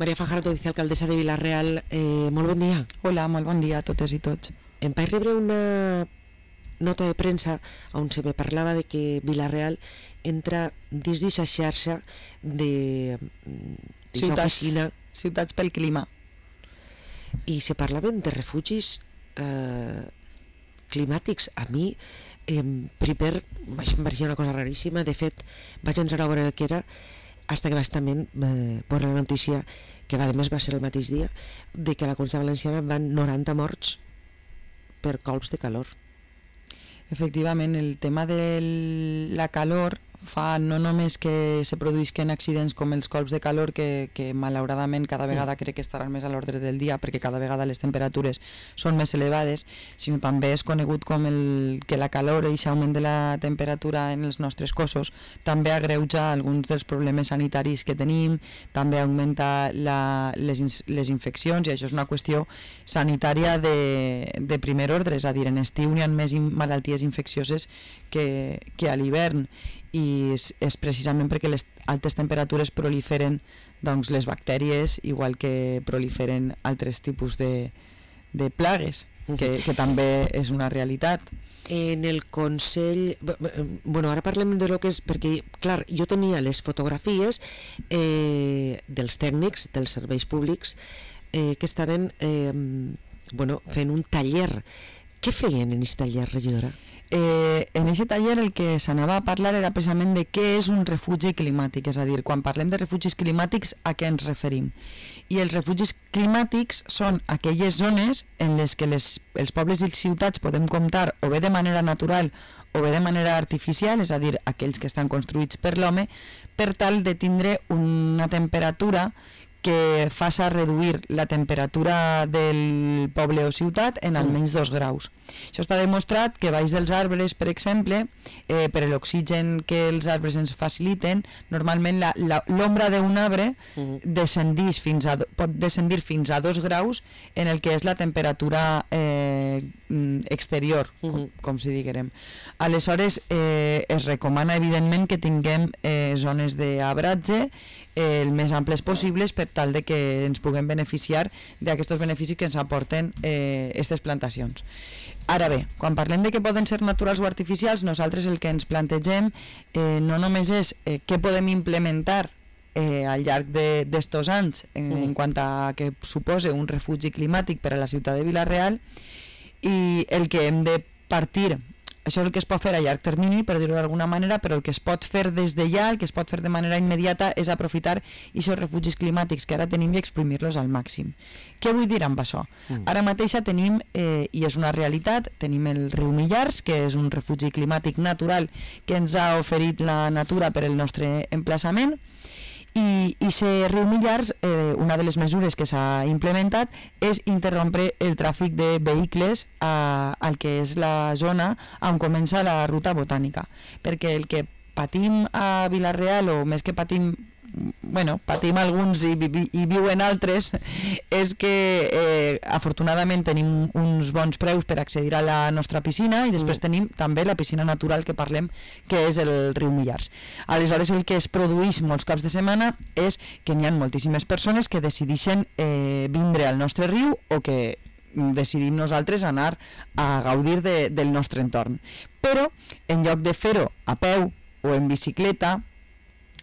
Maria Fajardo, vicealcaldessa de Vila-real, molt bon dia. Hola, molt bon dia a totes i tots. Em vaig rebre una nota de premsa on se me parlava de que Vila-real entra dins d'aquesta xarxa d'oficina. Ciutats pel clima. I se parlaven de refugis climàtics. A mi, primer, em vaig una cosa raríssima. De fet, vaig entrar a veure què era hasta que bastament veure la notícia, que a més va ser el mateix dia, de que a la Comunitat Valenciana van 90 morts per colps de calor. Efectivament, el tema de la calor fa no només que se produïsquen accidents com els colps de calor, que malauradament cada vegada crec que estaran més a l'ordre del dia perquè cada vegada les temperatures són més elevades, sinó també és conegut com que la calor i l'augment de la temperatura en els nostres cossos també agreuja alguns dels problemes sanitaris que tenim, també augmenta les infeccions, i això és una qüestió sanitària de primer ordre, és a dir, en estiu hi ha més malalties infeccioses que a l'hivern, i és precisament perquè les altes temperatures proliferen doncs, les bactèries, igual que proliferen altres tipus de plagues, que també és una realitat. En el Consell... ara parlem de lo que és... Perquè, clar, jo tenia les fotografies dels tècnics dels serveis públics que estaven fent un taller. Què feien en aquest taller, regidora? En aquest taller el que s'anava a parlar era precisament de què és un refugi climàtic, és a dir, quan parlem de refugis climàtics, a què ens referim? I els refugis climàtics són aquelles zones en les que els pobles i les ciutats podem comptar o bé de manera natural o bé de manera artificial, és a dir, aquells que estan construïts per l'home, per tal de tindre una temperatura que faça reduir la temperatura del poble o ciutat en almenys 2 graus. Això està demostrat que baix dels arbres, per exemple, per l'oxigen que els arbres ens faciliten, normalment l'ombra d'un arbre pot descendir fins a 2 graus en el que és la temperatura exterior, com si diguem. Aleshores, es recomana evidentment que tinguem zones d'arbratge el més amples possibles per tal de que ens puguem beneficiar d'aquests beneficis que ens aporten aquestes plantacions. Ara bé, quan parlem de que poden ser naturals o artificials, nosaltres el que ens plantegem no només és què podem implementar al llarg d'estos anys en quant a que supose un refugi climàtic per a la ciutat de Vila-real, i el que hem de partir. Això és el que es pot fer a llarg termini, per dir-ho d'alguna manera, però el que es pot fer des de ja, el que es pot fer de manera immediata, és aprofitar aquests refugis climàtics que ara tenim i exprimir-los al màxim. Què vull dir amb això? Ara mateixa tenim, i és una realitat, tenim el riu Millars, que és un refugi climàtic natural que ens ha oferit la natura per el nostre emplaçament, i aquest riu Millars, una de les mesures que s'ha implementat és interrompre el tràfic de vehicles al que és la zona on comença la ruta botànica, perquè el que patim a Vila-real, o més que patim alguns i viuen altres, és que afortunadament tenim uns bons preus per accedir a la nostra piscina, i després tenim també la piscina natural que parlem, que és el riu Millars. Aleshores, el que es produeix molts caps de setmana és que n'hi ha moltíssimes persones que decideixen vindre al nostre riu, o que decidim nosaltres anar a gaudir del nostre entorn. Però, en lloc de fer-ho a peu o en bicicleta,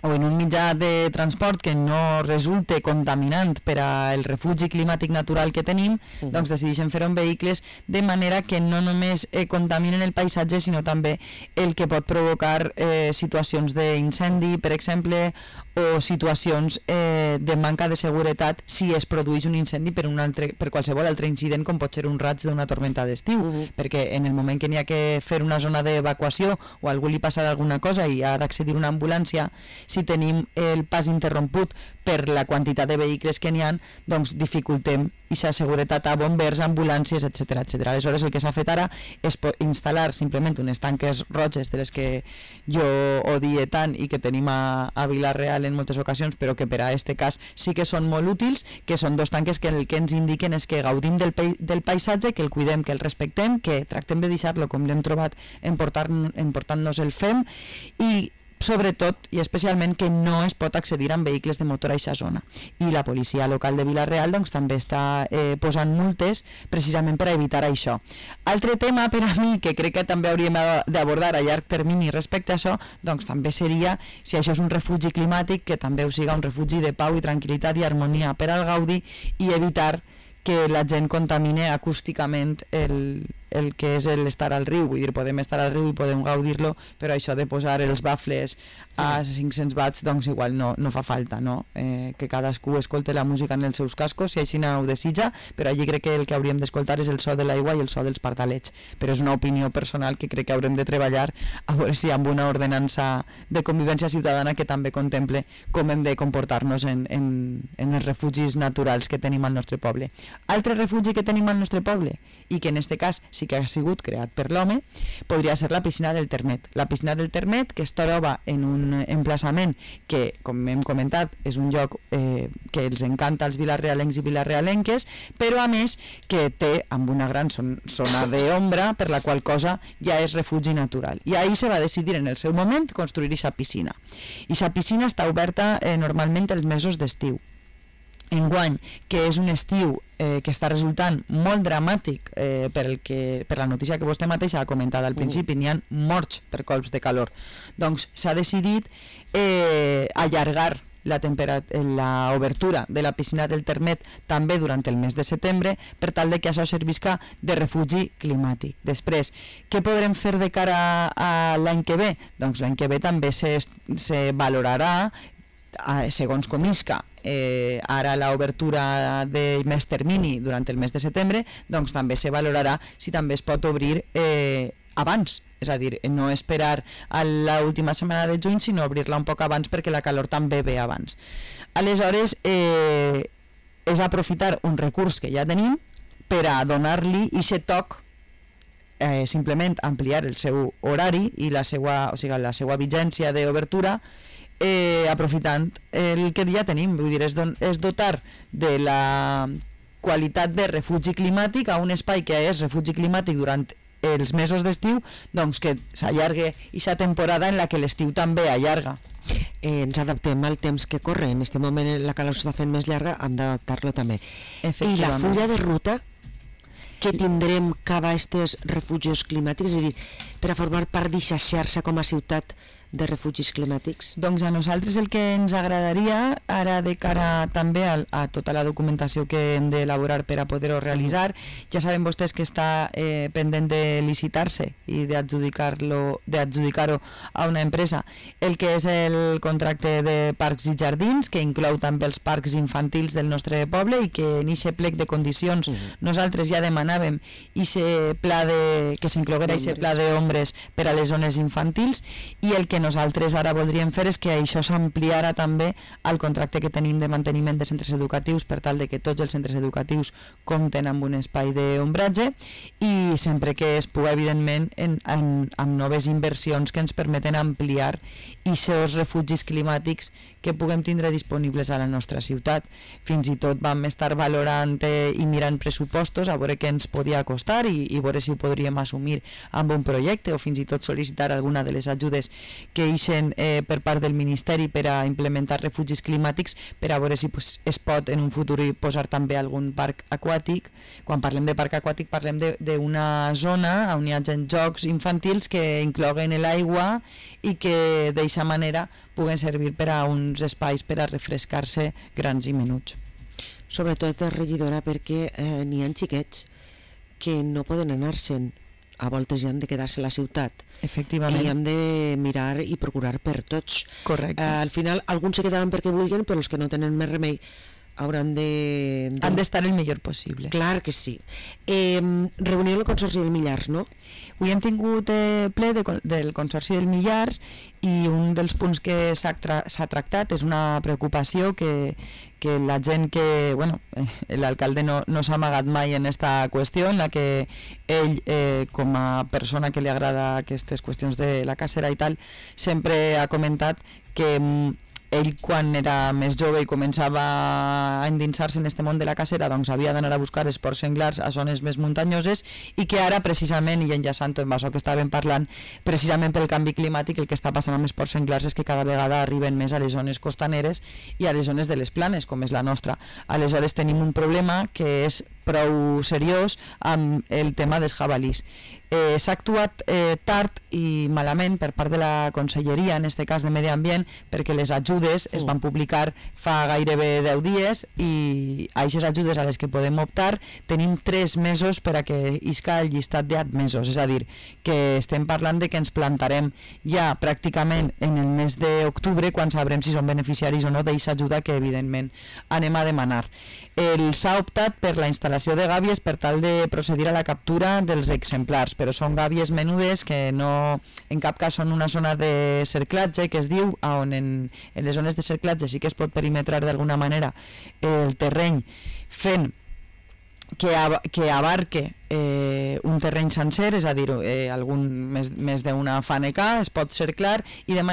o en un mitjà de transport que no resulte contaminant per al refugi climàtic natural que tenim, doncs decideixen fer-ho en vehicles, de manera que no només contaminen el paisatge, sinó també el que pot provocar situacions d'incendi, per exemple, o situacions de manca de seguretat si es produeix un incendi per qualsevol altre incident, com pot ser un raig d'una tormenta d'estiu, perquè en el moment que n'hi ha que fer una zona d'evacuació o a algú li passa alguna cosa i ha d'accedir una ambulància, si tenim el pas interromput per la quantitat de vehicles que n'hi ha, doncs dificultem aquesta seguretat a bombers, ambulàncies, etc. Aleshores, el que s'ha fet ara és instal·lar simplement unes tanques roges, de les que jo odie tant i que tenim a Vila-real en moltes ocasions, però que per a aquest cas sí que són molt útils, que són 2 tanques que el que ens indiquen és que gaudim del paisatge, que el cuidem, que el respectem, que tractem de deixar-lo com l'hem trobat, emportant-nos el fem, i sobretot i especialment que no es pot accedir amb vehicles de motor a aquesta zona. I la policia local de Vila-real doncs, també està posant multes precisament per a evitar això. Altre tema per a mi que crec que també hauríem d'abordar a llarg termini respecte a això, doncs també seria si això és un refugi climàtic, que també ho siga un refugi de pau i tranquil·litat i harmonia per al gaudi i evitar que la gent contamine acústicament el que és l'estar al riu. Vull dir, podem estar al riu i podem gaudir-lo, però això de posar els bafles a 500 watts doncs igual no fa falta, no? Que cadascú escolte la música en els seus cascos si així ho desitja, però allí crec que el que hauríem d'escoltar és el so de l'aigua i el so dels pardalets, però és una opinió personal que crec que haurem de treballar a veure si amb una ordenança de convivència ciutadana que també contemple com hem de comportar-nos en els refugis naturals que tenim al nostre poble. Altre refugi que tenim al nostre poble i que en este cas sí que ha sigut creat per l'home podria ser la piscina del Termet. La piscina del Termet, que es troba en un emplaçament que, com hem comentat, és un lloc que els encanta als vilarealencs i vilarealenques, però a més que té amb una gran zona d'ombra, per la qual cosa ja és refugi natural. I ahir se va decidir en el seu moment construir aquesta piscina. I aquesta piscina està oberta normalment els mesos d'estiu. Enguany, que és un estiu que està resultant molt dramàtic per la notícia que vostè mateixa ha comentat al principi, n'hi ha morts per colps de calor, doncs s'ha decidit allargar la obertura de la piscina del Termet també durant el mes de setembre per tal de que això servisca de refugi climàtic. Després, què podrem fer de cara a l'any que ve? Doncs l'any que ve també se valorarà segons com isca ara l'obertura de més termini durant el mes de setembre, doncs també se valorarà si també es pot obrir abans, és a dir, no esperar a l'última setmana de juny, sinó obrir-la un poc abans perquè la calor també ve abans. Aleshores, és aprofitar un recurs que ja tenim per a donar-li aquest toc, simplement ampliar el seu horari i la seva vigència d'obertura, aprofitant el que ja tenim, vull dir, és dotar de la qualitat de refugi climàtic a un espai que és refugi climàtic durant els mesos d'estiu, doncs que s'allargue aquesta temporada en la que l'estiu també allarga. Ens adaptem al temps que corre, en aquest moment la calor s'està fent més llarga, hem d'adaptar-lo també. I la fulla de ruta que tindrem cap a aquests refugis climàtics, és a dir, per a formar part d'aquesta xarxa com a ciutat de refugis climàtics? Doncs a nosaltres el que ens agradaria, ara de cara també a tota la documentació que hem d'elaborar per a poder-ho realitzar, ja saben vostès que està pendent de licitar-se i d'adjudicar-ho a una empresa, el que és el contracte de parcs i jardins, que inclou també els parcs infantils del nostre poble i que en aquest plec de condicions nosaltres ja demanàvem que s'incloguera aquest pla d'ombres per a les zones infantils, i el que nosaltres ara voldríem fer és que això s'ampliara també al contracte que tenim de manteniment de centres educatius per tal de que tots els centres educatius compten amb un espai d'ombratge i sempre que es pugui, evidentment, amb noves inversions que ens permeten ampliar aquests refugis climàtics que puguem tindre disponibles a la nostra ciutat. Fins i tot vam estar valorant i mirant pressupostos a veure què ens podia costar i veure si ho podríem assumir amb un projecte o fins i tot sol·licitar alguna de les ajudes que ixen per part del Ministeri per a implementar refugis climàtics, per a veure si es pot en un futur posar també algun parc aquàtic. Quan parlem de parc aquàtic parlem d'una zona on hi ha jocs infantils que incloguen l'aigua i que d'aquesta manera puguen servir per a uns espais per a refrescar-se grans i menuts. Sobretot, regidora, perquè n'hi ha xiquets que no poden anar-se'n, a voltes ja han de quedar-se a la ciutat. Efectivament. I hem de mirar i procurar per tots. Correcte. Al final, alguns se quedaven perquè vulguin, però els que no tenen més remei hauran de... Han d'estar el millor possible. Clar que sí. Reunió del Consorci del Millars, no? Avui hem tingut ple del Consorci del Millars i un dels punts que s'ha tractat és una preocupació que la gent que... Bueno, l'alcalde no s'ha amagat mai en aquesta qüestió, en la que ell, com a persona que li agrada aquestes qüestions de la cacera i tal, sempre ha comentat que ell quan era més jove i començava a endinsar-se en este món de la cacera, doncs havia d'anar a buscar esports senglars a zones més muntanyoses, i que ara precisament, i enllaçant amb això que estàvem parlant, precisament pel canvi climàtic, el que està passant amb esports senglars és que cada vegada arriben més a les zones costaneres i a les zones de les planes, com és la nostra. Aleshores tenim un problema que és prou seriós amb el tema dels jabalís. S'ha actuat tard i malament per part de la Conselleria, en aquest cas de Medi Ambient, perquè les ajudes es van publicar fa gairebé 10 dies i a aquestes ajudes a les que podem optar tenim 3 mesos per a que isca el llistat d'admesos, és a dir, que estem parlant de que ens plantarem ja pràcticament en el mes d'octubre quan sabrem si som beneficiaris o no d'aquesta ajuda que evidentment anem a demanar. S'ha optat per la instal·lació de gàbies per tal de procedir a la captura dels exemplars, però són gàbies menudes que no, en cap cas són una zona de cerclatge, que es diu, on en les zones de cerclatge sí que es pot perimetrar d'alguna manera el terreny fent que abarque un terreny sencer, és a dir, més d'una faneca, es pot cerclar i de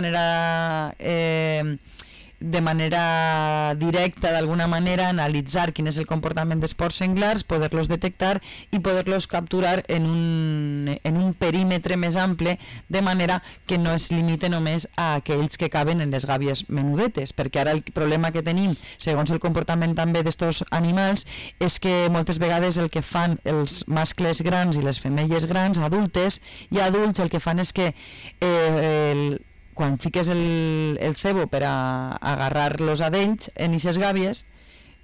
manera directa, d'alguna manera, analitzar quin és el comportament d'esports senglars, poder-los detectar i poder-los capturar en un perímetre més ample, de manera que no es limite només a aquells que caben en les gàbies menudetes, perquè ara el problema que tenim, segons el comportament també d'estos animals, és que moltes vegades el que fan els mascles grans i les femelles grans, adultes i adults, el que fan és que quan fiques el cebo per a agarrar los adells en aquestes gàbies,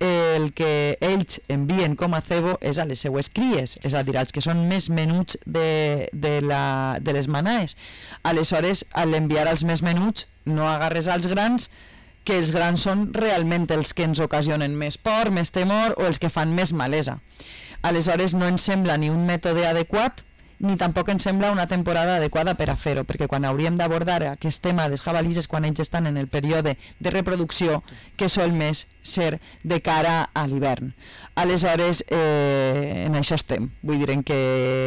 el que ells envien com a cebo és a les seues cries, és a dir, als que són més menuts de les manaes. Aleshores, a l'enviar als més menuts, no agarres als grans, que els grans són realment els que ens ocasionen més por, més temor o els que fan més malesa. Aleshores, no ens sembla ni un mètode adequat ni tampoc ens sembla una temporada adequada per a fer-ho, perquè quan hauríem d'abordar aquest tema dels jabalís és quan ells estan en el període de reproducció, que sol més ser de cara a l'hivern. Aleshores, en això estem. Vull dir que,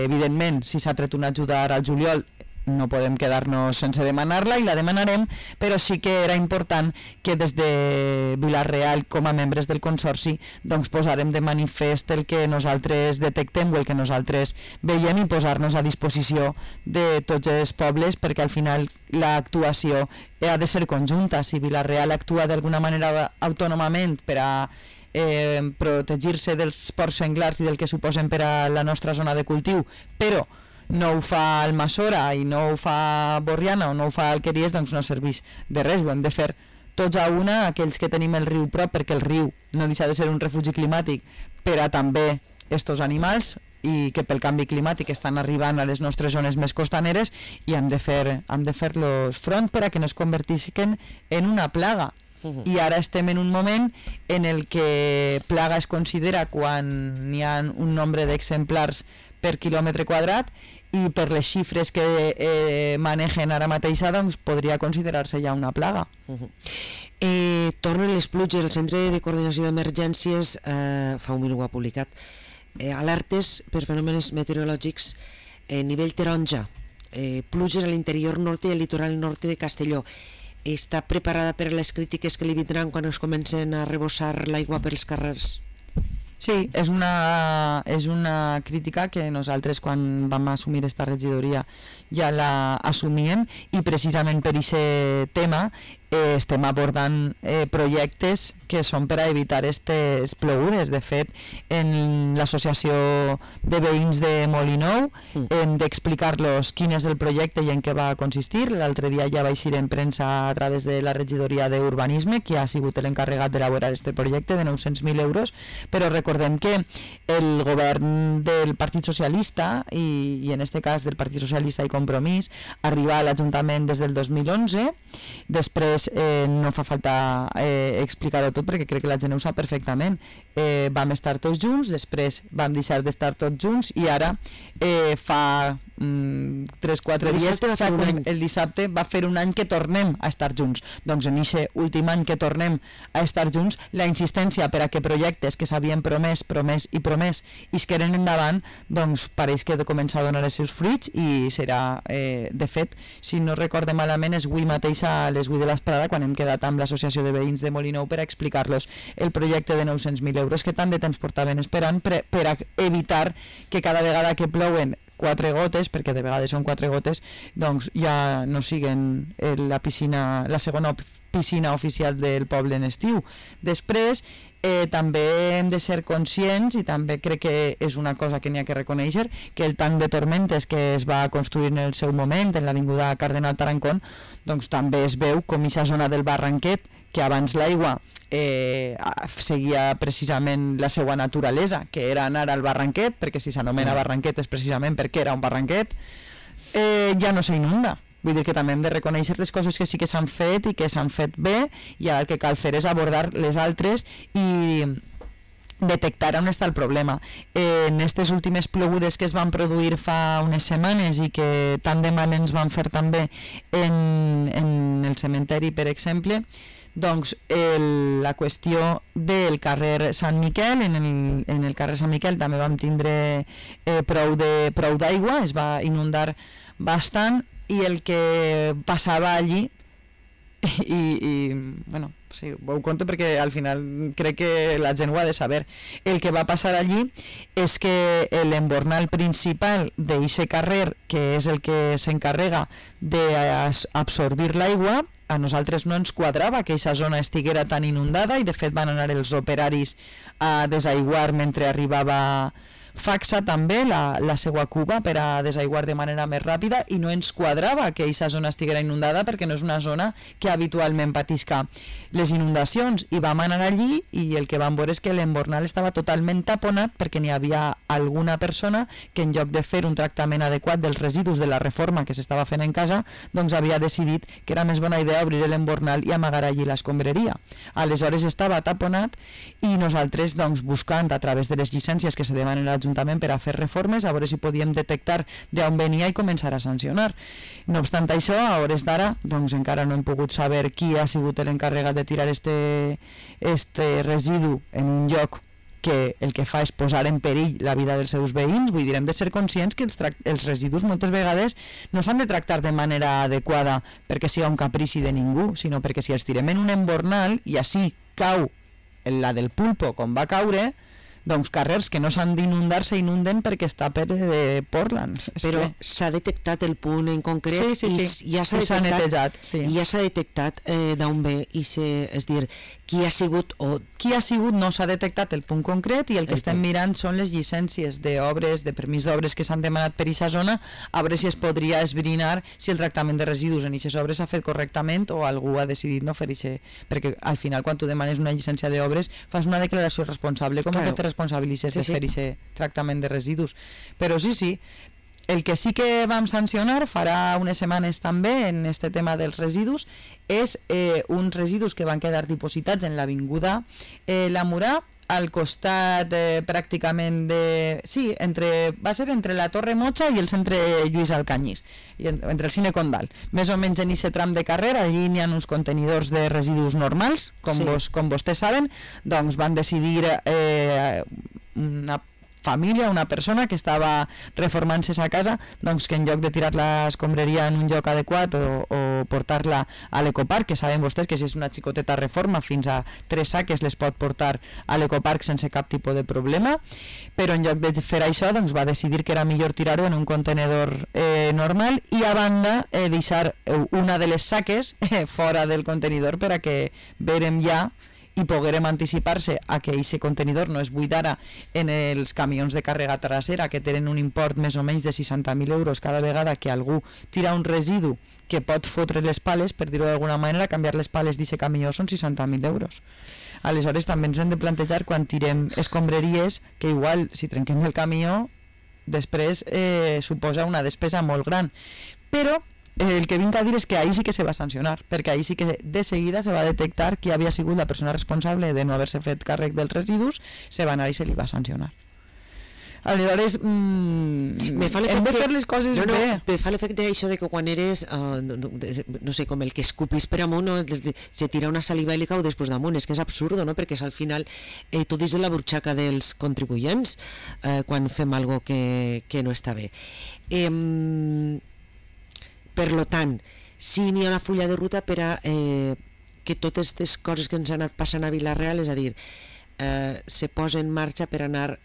evidentment, si s'ha tret una ajuda al juliol, no podem quedar-nos sense demanar-la i la demanarem, però sí que era important que des de Vila-real, com a membres del Consorci, doncs posarem de manifest el que nosaltres detectem o el que nosaltres veiem i posar-nos a disposició de tots els pobles, perquè al final l'actuació ha de ser conjunta. Si Vila-real actua d'alguna manera autònomament per a protegir-se dels porcs senglars i del que suposen per a la nostra zona de cultiu, però no ho fa Almassora i no ho fa Borriana o no ho fa Alqueries, doncs no serveix de res. Ho hem de fer tots a una, aquells que tenim el riu prop, perquè el riu no deixa de ser un refugi climàtic per a també estos animals i que pel canvi climàtic estan arribant a les nostres zones més costaneres i hem de fer-los front per a que no es convertisquen en una plaga. I ara estem en un moment en el que plaga es considera quan n'hi ha un nombre d'exemplars per quilòmetre quadrat i per les xifres que manegen ara mateix, doncs podria considerar-se ja una plaga. Tornen les pluges. El Centre de Coordinació d'Emergències fa un minut ho ha publicat alertes per fenòmens meteorològics nivell taronja, pluges a l'interior nord i al litoral nord de Castelló. Està preparada per a les crítiques que li vindran quan es comencen a rebossar l'aigua pels carrers? Sí, és una crítica que nosaltres quan vam assumir esta regidoria ja la assumíem i precisament per aquest tema estem abordant projectes que són per a evitar aquestes plogudes. De fet, en l'associació de veïns de Molinou hem d'explicar-los quin és el projecte i en què va consistir. L'altre dia ja vaig ir en premsa a través de la regidoria d'Urbanisme, que ha sigut l'encarregat d'elaborar aquest projecte de 900.000 euros, però recordem que el govern del Partit Socialista i en aquest cas del Partit Socialista i Compromís arriba a l'Ajuntament des del 2011. Després no fa falta explicar-ho tot perquè crec que la gent ho sap perfectament. Vam estar tots junts, després vam deixar d'estar tots junts i ara fa 3-4 dies, el dissabte va fer un any que tornem a estar junts. Doncs en aquest últim any que tornem a estar junts, la insistència per a que projectes que s'havien promès i es queden endavant, doncs pareix que de començar a donar els seus fruits i serà, de fet, si no recorde malament, és avui mateix a les 8 de vesprada quan hem quedat amb l'associació de veïns de Molinou per a explicar-los el projecte de 900.000 euros que tant de temps portaven esperant per a evitar que cada vegada que plouen 4 gotes, perquè de vegades són 4 gotes, doncs ja no siguen la segona piscina oficial del poble en estiu. Després, també hem de ser conscients, i també crec que és una cosa que n'hi ha que reconèixer, que el tanc de tormentes que es va construir en el seu moment en l'avinguda Cardenal Tarancón, doncs també es veu com aquesta zona del Barranquet, que abans l'aigua seguia precisament la seva naturalesa, que era anar al Barranquet, perquè si s'anomena Barranquet és precisament perquè era un barranquet, ja no s'inunda. Vull dir que també hem de reconèixer les coses que sí que s'han fet i que s'han fet bé, i ara el que cal fer és abordar les altres i detectar on està el problema. En aquestes últimes plogudes que es van produir fa unes setmanes i que tant de mal ens van fer també en el cementeri, per exemple, doncs la qüestió del carrer Sant Miquel, en el carrer Sant Miquel també vam tindre prou d'aigua, es va inundar bastant, i el que passava allí i bueno, sí, ho conto perquè al final crec que la gent ho ha de saber. El que va passar allí és que l'embornal principal d'aquest carrer, que és el que s'encarrega d'absorbir l'aigua, a nosaltres no ens quadrava que aquesta zona estiguera tan inundada, i de fet van anar els operaris a desaiguar mentre arribava Faxa també, la seva cuba, per a desaiguar de manera més ràpida, i no ens quadrava que aquesta zona estiguera inundada perquè no és una zona que habitualment patisca les inundacions, i vam anar allí i el que vam veure és que l'embornal estava totalment taponat perquè n'hi havia alguna persona que en lloc de fer un tractament adequat dels residus de la reforma que s'estava fent en casa, doncs havia decidit que era més bona idea obrir l'embornal i amagar allí l'escombraria. Aleshores estava taponat i nosaltres doncs buscant a través de les llicències que se demanen a l'Ajuntament per a fer reformes, a veure si podíem detectar d'on venia i començar a sancionar. No obstant això, a hores d'ara, doncs encara no hem pogut saber qui ha sigut l'encarregat de tirar este residu en un lloc que el que fa és posar en perill la vida dels seus veïns. Vull dir, hem de ser conscients que els residus moltes vegades no s'han de tractar de manera adequada perquè sigui un caprici de ningú, sinó perquè si els tirem en un embornal i així cau la del pulpo com va caure, doncs carrers que no s'han d'inundar s'inunden perquè està per Portland. Però s'ha detectat el punt en concret, sí. I ja s'ha netejat, sí. I ja s'ha detectat d'on ve, és dir, qui ha sigut no s'ha detectat el punt concret, i el que estem mirant són les llicències d'obres, de permís d'obres que s'han demanat per aquesta zona, a veure si es podria esbrinar si el tractament de residus en aquestes obres s'ha fet correctament o algú ha decidit no fer això, perquè al final quan tu demanes una llicència d'obres fas una declaració responsable com que te responsabilitzes de fer aquest tractament de residus. Però sí, el que sí que vam sancionar farà unes setmanes també en este tema dels residus és uns residus que van quedar dipositats en l'avinguda La Murà, al costat pràcticament va ser entre la Torre Mocha i el centre Lluís Alcanyís, i entre el Cine Condal, més o menys en aquest tram de carrer. Allí n'hi ha uns contenidors de residus normals, com vostès saben, doncs van decidir una família, una persona que estava reformant-se a casa, doncs que en lloc de tirar l'escombraria en un lloc adequat o portar-la a l'ecoparc, que saben vostès que si és una xicoteta reforma fins a 3 saques les pot portar a l'ecoparc sense cap tipus de problema, però en lloc de fer això doncs va decidir que era millor tirar-ho en un contenedor normal, i a banda deixar una de les saques fora del contenidor per a que verem ja i poguérem anticipar-se a que aquest contenidor no es buidara en els camions de càrrega trasera, que tenen un import més o menys de 60.000 euros cada vegada que algú tira un residu que pot fotre les pales, per dir-ho d'alguna manera. Canviar les pales d'aquest camió són 60.000 euros. Aleshores també ens hem de plantejar quan tirem escombraries que igual si trenquem el camió després suposa una despesa molt gran. Però el que vinc a dir és que ahir sí que se va sancionar, perquè ahir sí que de seguida se va detectar qui havia sigut la persona responsable de no haver-se fet càrrec dels residus, se va anar i se li va sancionar. Aleshores, hem de fer les coses bé. Me fa l'efecte això de que quan eres, no sé, com el que escupís per amunt, se tira una saliva i li cau després damunt. És que és absurd, no? Perquè al final tot és la burxaca dels contribuents quan fem alguna cosa que no està bé. Per lo tant, si n'hi ha una fulla de ruta per a que totes aquestes coses que ens han anat passant a Vila-real, és a dir, se posa en marxa per anar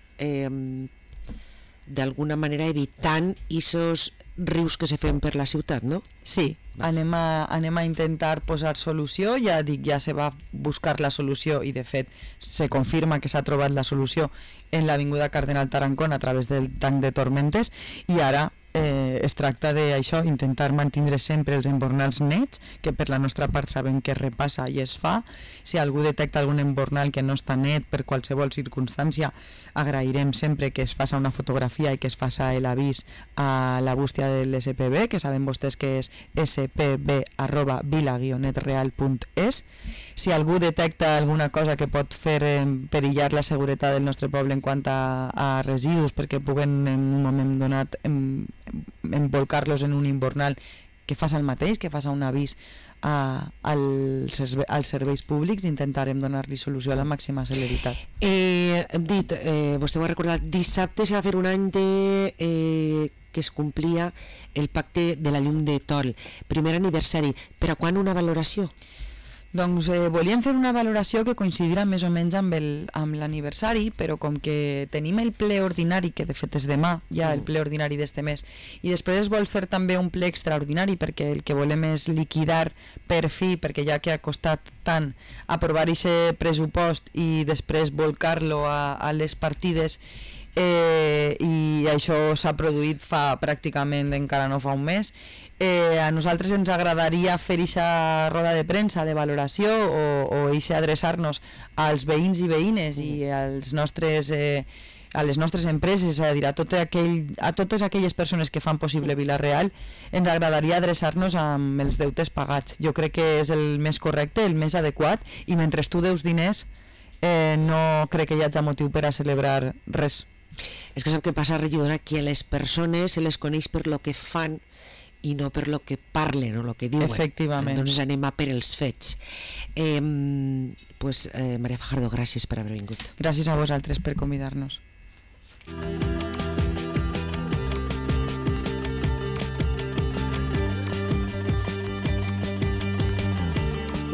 d'alguna manera evitant aquests rius que se fan per la ciutat, no? Sí, anem a intentar posar solució, ja dic, ja se va buscar la solució i de fet se confirma que s'ha trobat la solució en l'avinguda Cardenal Tarancón a través del tanc de Tormentes, i ara es tracta d'això, intentar mantindre sempre els embornals nets, que per la nostra part sabem que es repassa i es fa. Si algú detecta algun embornal que no està net per qualsevol circumstància, agrairem sempre que es faça una fotografia i que es faça l'avís a la bústia de l'SPB, que saben vostès que és spb@vila-netreal.es. Si algú detecta alguna cosa que pot fer perillar la seguretat del nostre poble en quant a residus, perquè puguen en un moment donat embolcar-los en un invernal, que faça el mateix, que faça un avís als serveis públics, intentarem donar-li solució a la màxima celeritat. Hem dit, vostè ho ha recordat, dissabte s'ha va fer un any que es complia el pacte de la llum de Tol, primer aniversari. Per a quan una valoració? Doncs volíem fer una valoració que coincidirà més o menys amb l'aniversari, però com que tenim el ple ordinari, que de fet és demà, ja el ple ordinari d'este mes, i després es vol fer també un ple extraordinari, perquè el que volem és liquidar per fi, perquè ja que ha costat tant aprovar aquest pressupost i després volcar-lo a les partides, i això s'ha produït fa pràcticament encara no fa un mes. A nosaltres ens agradaria fer aquesta roda de premsa de valoració o adreçar-nos als veïns i veïnes i a les nostres empreses, és a dir, a totes aquelles persones que fan possible Vila-real. Ens agradaria adreçar-nos amb els deutes pagats. Jo crec que és el més correcte, el més adequat, i mentre tu deus diners no crec que hi hagi motiu per a celebrar res. És que sap què passa, regidora, que a les persones se les coneix per lo que fan i no per lo que parlen o lo que diuen. Efectivament. Entonces anem a per els fets. Maria Fajardo, gràcies per haver vingut. Gràcies a vosaltres per convidar-nos.